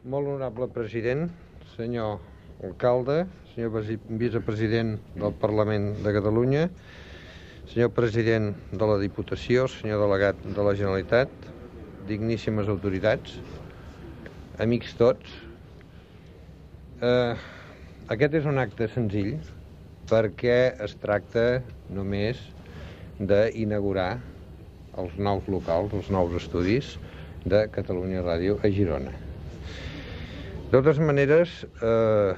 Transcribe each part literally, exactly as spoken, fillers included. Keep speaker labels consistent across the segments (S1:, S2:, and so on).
S1: Molt honorable president, senyor alcalde, senyor vicepresident del Parlament de Catalunya, senyor president de la Diputació, senyor delegat de la Generalitat, digníssimes autoritats, amics tots. Eh, aquest és un acte senzill perquè es tracta només d'inaugurar els nous locals, els nous estudis de Catalunya Ràdio a Girona. De totes maneres, eh,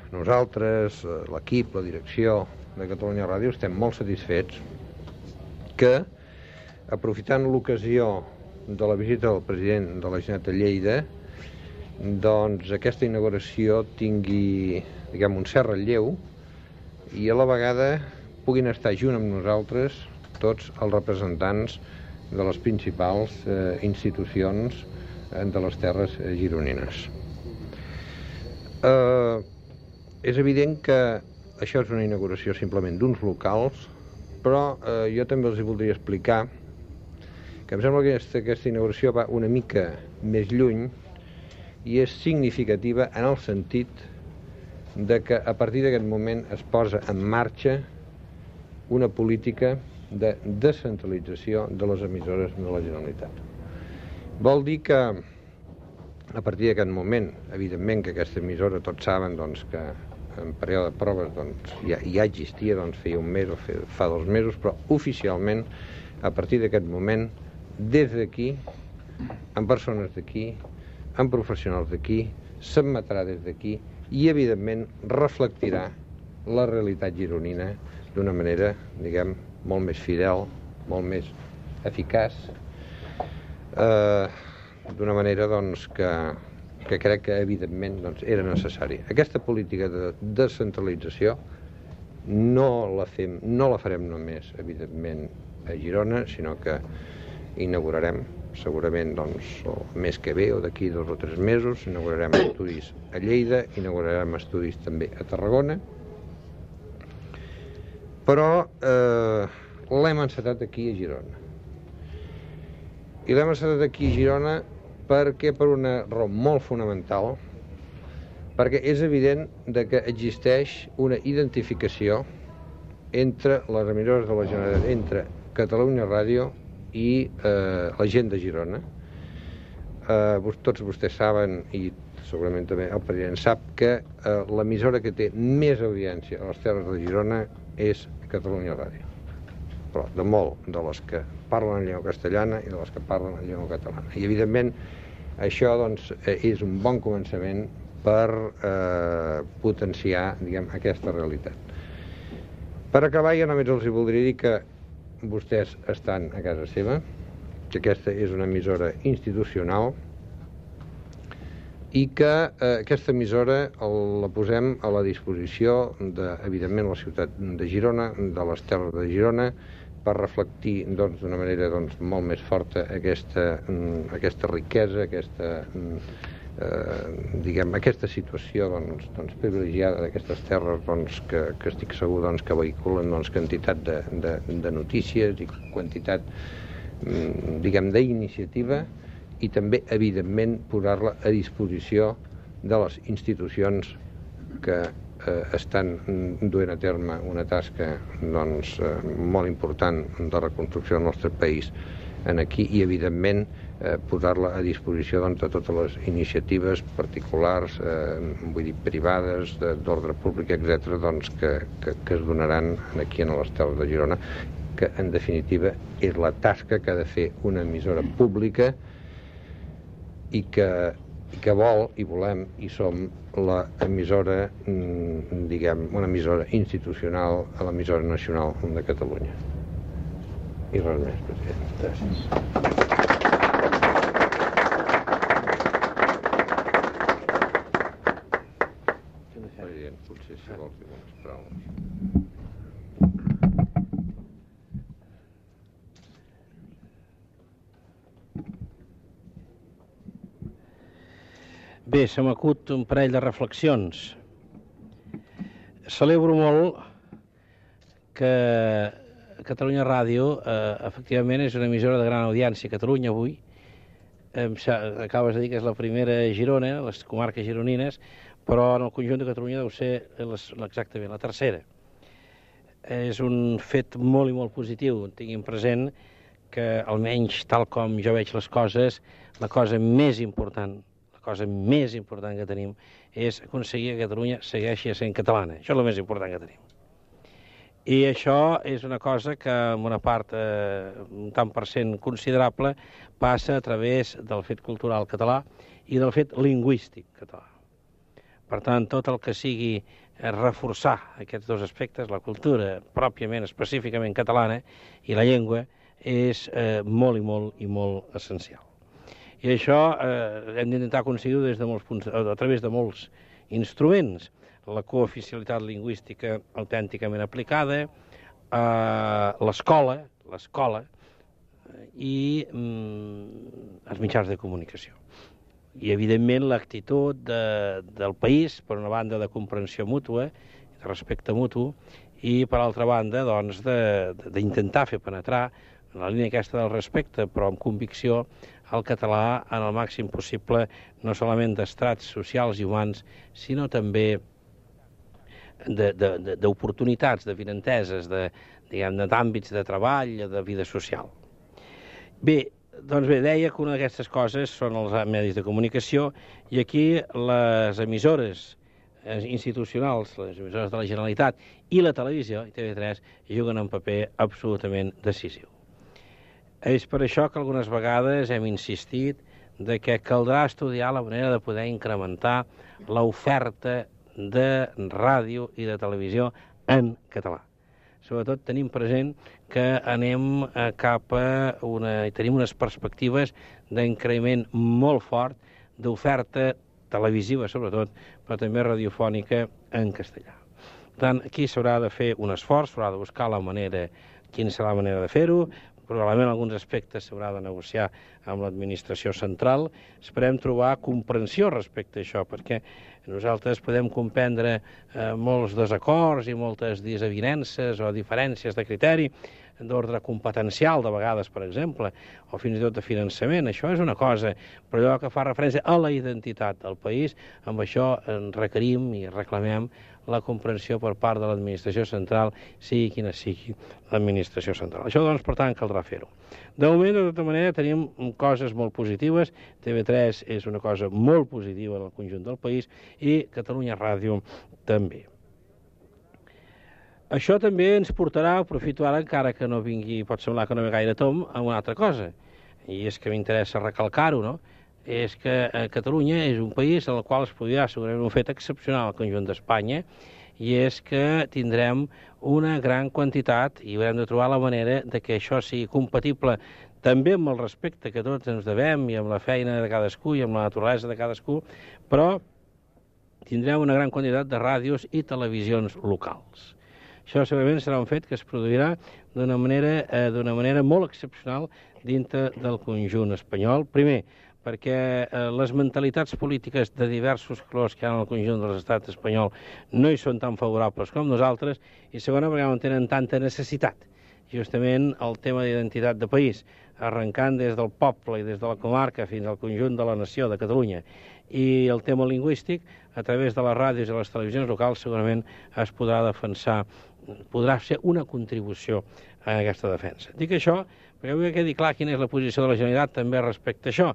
S1: nosaltres, l'equip, la direcció de Catalunya Ràdio, estem molt satisfets que, aprofitant l'ocasió de la visita del president de la Generalitat a Lleida, doncs aquesta inauguració tingui, diguem, un cert relleu i a la vegada puguin estar junt amb nosaltres tots els representants de les principals eh, institucions eh, de les terres eh, gironines. Eh, és evident que això és una inauguració simplement d'uns locals, però eh, jo també els voldria explicar que em sembla que aquesta, aquesta inauguració va una mica més lluny i és significativa en el sentit de que a partir d'aquest moment es posa en marxa una política de descentralització de les emissores de la Generalitat. Vol dir que a partir d'aquest moment, evidentment que aquesta emissora tots saben doncs, que en període de proves doncs, ja, ja existia, doncs, feia un mes o fa dos mesos, però oficialment a partir d'aquest moment, des d'aquí, amb persones d'aquí, amb professionals d'aquí, s'emetrà des d'aquí i evidentment reflectirà la realitat gironina d'una manera, diguem, molt més fidel, molt més eficaç, eh, d'una manera doncs, que, que crec que evidentment doncs, era necessari. Aquesta política de descentralització no la, fem, no la farem només, evidentment, a Girona, sinó que inaugurarem segurament doncs, el mes que ve o d'aquí dos o tres mesos, inaugurarem estudis a Lleida, inaugurarem estudis també a Tarragona, però eh, l'hem encetat aquí a Girona. I l'hem encetat aquí a Girona perquè per una raó molt fonamental, perquè és evident de que existeix una identificació entre les emissores de la Generalitat, entre Catalunya Ràdio i eh, la gent de Girona. Eh, tots vostès saben, i segurament també el president sap, que eh, l'emissora que té més audiència a les terres de Girona és Catalunya Ràdio. Però de molt de les que parlen en llengua castellana i de les que parlen en llengua catalana. I evidentment això doncs, és un bon començament per eh, potenciar, diguem, aquesta realitat. Per acabar, jo només els voldria dir que vostès estan a casa seva, que aquesta és una emissora institucional i que eh, aquesta emissora el, la posem a la disposició de, evidentment, la ciutat de Girona, de les terres de Girona, per reflectir doncs, d'una manera doncs, molt més forta aquesta, aquesta riquesa, aquesta, eh, diguem, aquesta situació doncs, doncs, privilegiada d'aquestes terres doncs, que, que estic segur doncs, que vehiculen doncs, quantitat de, de, de notícies i quantitat diguem, d'iniciativa i també, evidentment, posar-la a disposició de les institucions que eh, estan duent a terme una tasca doncs, eh, molt important de reconstrucció del nostre país en aquí i, evidentment, eh, posar-la a disposició doncs, de totes les iniciatives particulars, eh, vull dir, privades, d'ordre públic, etcètera, doncs, que, que, que es donaran aquí a les terres de Girona, que, en definitiva, és la tasca que ha de fer una emissora pública i que, i que vol i volem i som la emissora, diguem, una emissora institucional a l'emissora nacional de Catalunya. I res més, president. Gràcies. President, potser si vols dir unes paraules.
S2: Bé, se m'acut un parell de reflexions. Celebro molt que Catalunya Ràdio, eh, efectivament, és una emissora de gran audiència a Catalunya avui, acabes de dir que és la primera a Girona, les comarques gironines, però en el conjunt de Catalunya deu ser les, exactament la tercera. És un fet molt i molt positiu. Tinguin present que, almenys tal com jo veig les coses, la cosa més important, la cosa més important que tenim és aconseguir que Catalunya segueixi sent catalana. Això és el més important que tenim. I això és una cosa que, en una part, eh, un tant per cent considerable, passa a través del fet cultural català i del fet lingüístic català. Per tant, tot el que sigui reforçar aquests dos aspectes, la cultura pròpiament, específicament catalana, i la llengua, és eh, molt i molt i molt essencial. I això eh, hem d'intentar aconseguir-ho des de molts punts, a través de molts instruments. La cooficialitat lingüística autènticament aplicada, eh, l'escola, l'escola i mm, els mitjans de comunicació. I, evidentment, l'actitud de, del país, per una banda, de comprensió mútua, de respecte mutu, i, per altra banda, doncs, d'intentar fer penetrar en la línia aquesta del respecte, però amb convicció, el català en el màxim possible, no solament d'estrats socials i humans, sinó també d'oportunitats, de vinenteses, d'àmbits de treball, de vida social. Bé, doncs bé, deia que una d'aquestes coses són els medis de comunicació i aquí les emissores institucionals, les emissores de la Generalitat i la televisió, i T V tres, juguen un paper absolutament decisiu. És per això que algunes vegades hem insistit de que caldrà estudiar la manera de poder incrementar l'oferta de ràdio i de televisió en català. Sobretot tenim present que anem cap a una... tenim unes perspectives d'increment molt fort d'oferta televisiva, sobretot, però també radiofònica en castellà. Per tant, aquí s'haurà de fer un esforç, s'haurà de buscar la manera, quina serà la manera de fer-ho, probablement alguns aspectes s'haurà de negociar amb l'administració central. Esperem trobar comprensió respecte a això, perquè nosaltres podem comprendre eh, molts desacords i moltes desavinences o diferències de criteri d'ordre competencial, de vegades, per exemple, o fins i tot de finançament. Això és una cosa, però allò que fa referència a la identitat del país, amb això requerim i reclamem la comprensió per part de l'administració central, sigui quina sigui l'administració central. Això, doncs, per tant, caldrà fer-ho. De moment, de tota manera, tenim coses molt positives. T V tres és una cosa molt positiva en el conjunt del país i Catalunya Ràdio també. Això també ens portarà, aprofito ara, encara que no vingui, pot semblar que no ve gaire tom, a una altra cosa. I és que m'interessa recalcar-ho, no? És que Catalunya és un país en el qual es podrà segurament un fet excepcional al conjunt d'Espanya, i és que tindrem una gran quantitat i haurem de trobar la manera de que això sigui compatible també amb el respecte que tots ens devem i amb la feina de cadascú i amb la naturalesa de cadascú, però tindrem una gran quantitat de ràdios i televisions locals. Això segurament serà un fet que es produirà d'una manera, eh, d'una manera molt excepcional dintre del conjunt espanyol. Primer, perquè eh, les mentalitats polítiques de diversos colors que hi ha en el conjunt de l'estat espanyol no hi són tan favorables com nosaltres, i segona, perquè no tenen tanta necessitat. Justament el tema d'identitat de país, arrencant des del poble i des de la comarca fins al conjunt de la nació de Catalunya, i el tema lingüístic, a través de les ràdios i les televisions locals, segurament es podrà defensar, podrà ser una contribució a aquesta defensa. Dic això perquè vull que quedi clar quina és la posició de la Generalitat també respecte a això.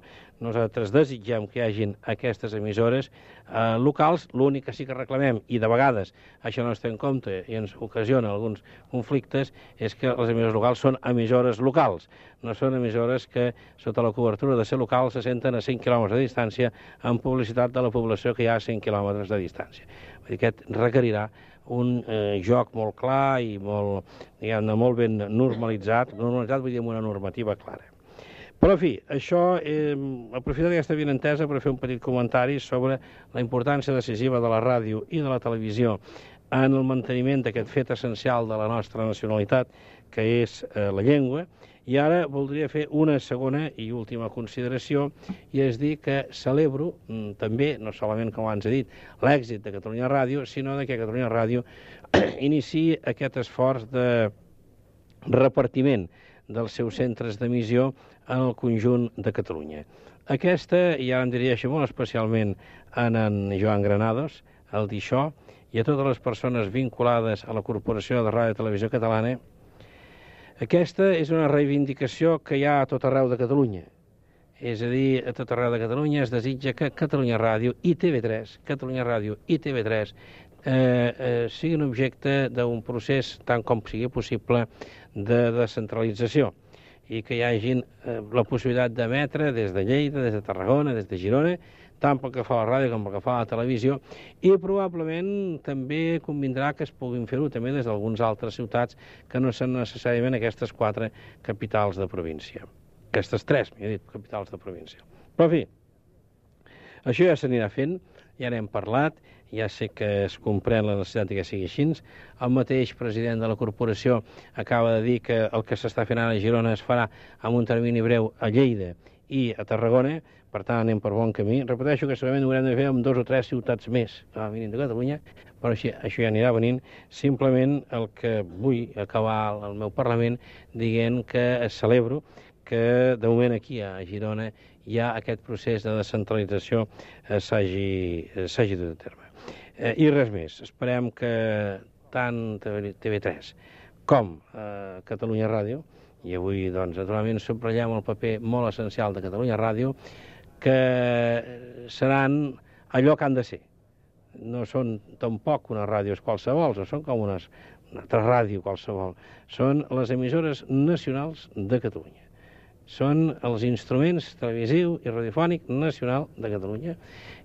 S2: Nosaltres desitgem que hi hagin aquestes emissores eh, locals. L'únic que sí que reclamem, i de vegades això no es té en compte i ens ocasiona alguns conflictes, és que les emissores locals són emissores locals. No són emissores que, sota la cobertura de ser locals, se senten a cent quilòmetres de distància amb publicitat de la població que hi ha a cent quilòmetres de distància. Vull dir, aquest requerirà un eh, joc molt clar i molt, diguem-ne, molt ben normalitzat. Normalitzat vull dir amb una normativa clara. Però, en fi, això, eh, aprofito aquesta avinentesa per fer un petit comentari sobre la importància decisiva de la ràdio i de la televisió en el manteniment d'aquest fet essencial de la nostra nacionalitat, que és eh, la llengua. I ara voldria fer una segona i última consideració, i és dir que celebro també, no solament com abans he dit, l'èxit de Catalunya Ràdio, sinó que Catalunya Ràdio iniciï aquest esforç de repartiment dels seus centres d'emissió en el conjunt de Catalunya. Aquesta, i ara em dirigeixo molt especialment en en Joan Granados, al dir això, i a totes les persones vinculades a la Corporació de Ràdio i Televisió Catalana, aquesta és una reivindicació que hi ha a tot arreu de Catalunya. És a dir, a tot arreu de Catalunya es desitja que Catalunya Ràdio i T V tres, Catalunya Ràdio i T V tres eh, eh, siguin objecte d'un procés, tant com sigui possible, de descentralització i que hi hagin eh, la possibilitat d'emetre des de Lleida, des de Tarragona, des de Girona, tant pel que fa a la ràdio com pel que fa a la televisió, i probablement també convindrà que es puguin fer-ho també des d'algunes altres ciutats que no són necessàriament aquestes quatre capitals de província. Aquestes tres, m'he dit, capitals de província. Però, en fi, això ja s'anirà fent, ja n'hem parlat, ja sé que es comprèn la necessitat que sigui així. El mateix president de la corporació acaba de dir que el que s'està fent ara a Girona es farà amb un termini breu a Lleida i a Tarragona, per tant anem per bon camí. Repeteixo que segurament ho haurem de fer amb dos o tres ciutats més que van venint de Catalunya, però així, això ja anirà venint. Simplement el que vull acabar el meu Parlament dient que celebro que de moment aquí a Girona ja aquest procés de descentralització s'hagi dut a terme. Eh, I res més, esperem que tant T V tres com eh, Catalunya Ràdio, i avui, doncs, naturalment, subratllem el paper molt essencial de Catalunya Ràdio, que seran allò que han de ser. No són tampoc unes ràdios qualsevol, no són com unes, una altra ràdio qualsevol. Són les emissores nacionals de Catalunya. Són els instruments televisiu i radiofònic nacional de Catalunya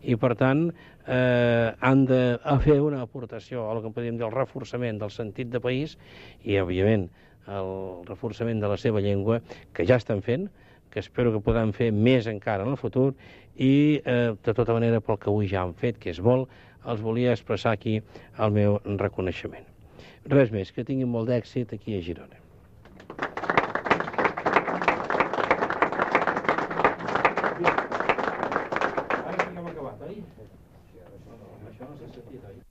S2: i, per tant, eh, han de fer una aportació a el que podríem dir el reforçament del sentit de país i, òbviament, el reforçament de la seva llengua, que ja estan fent, que espero que podran fer més encara en el futur i, eh, de tota manera, pel que avui ja han fet, que és molt, els volia expressar aquí el meu reconeixement. Res més, que tinguin molt d'èxit aquí a Girona. Ara que ja hem acabat, oi? Això no s'ha sentit, oi?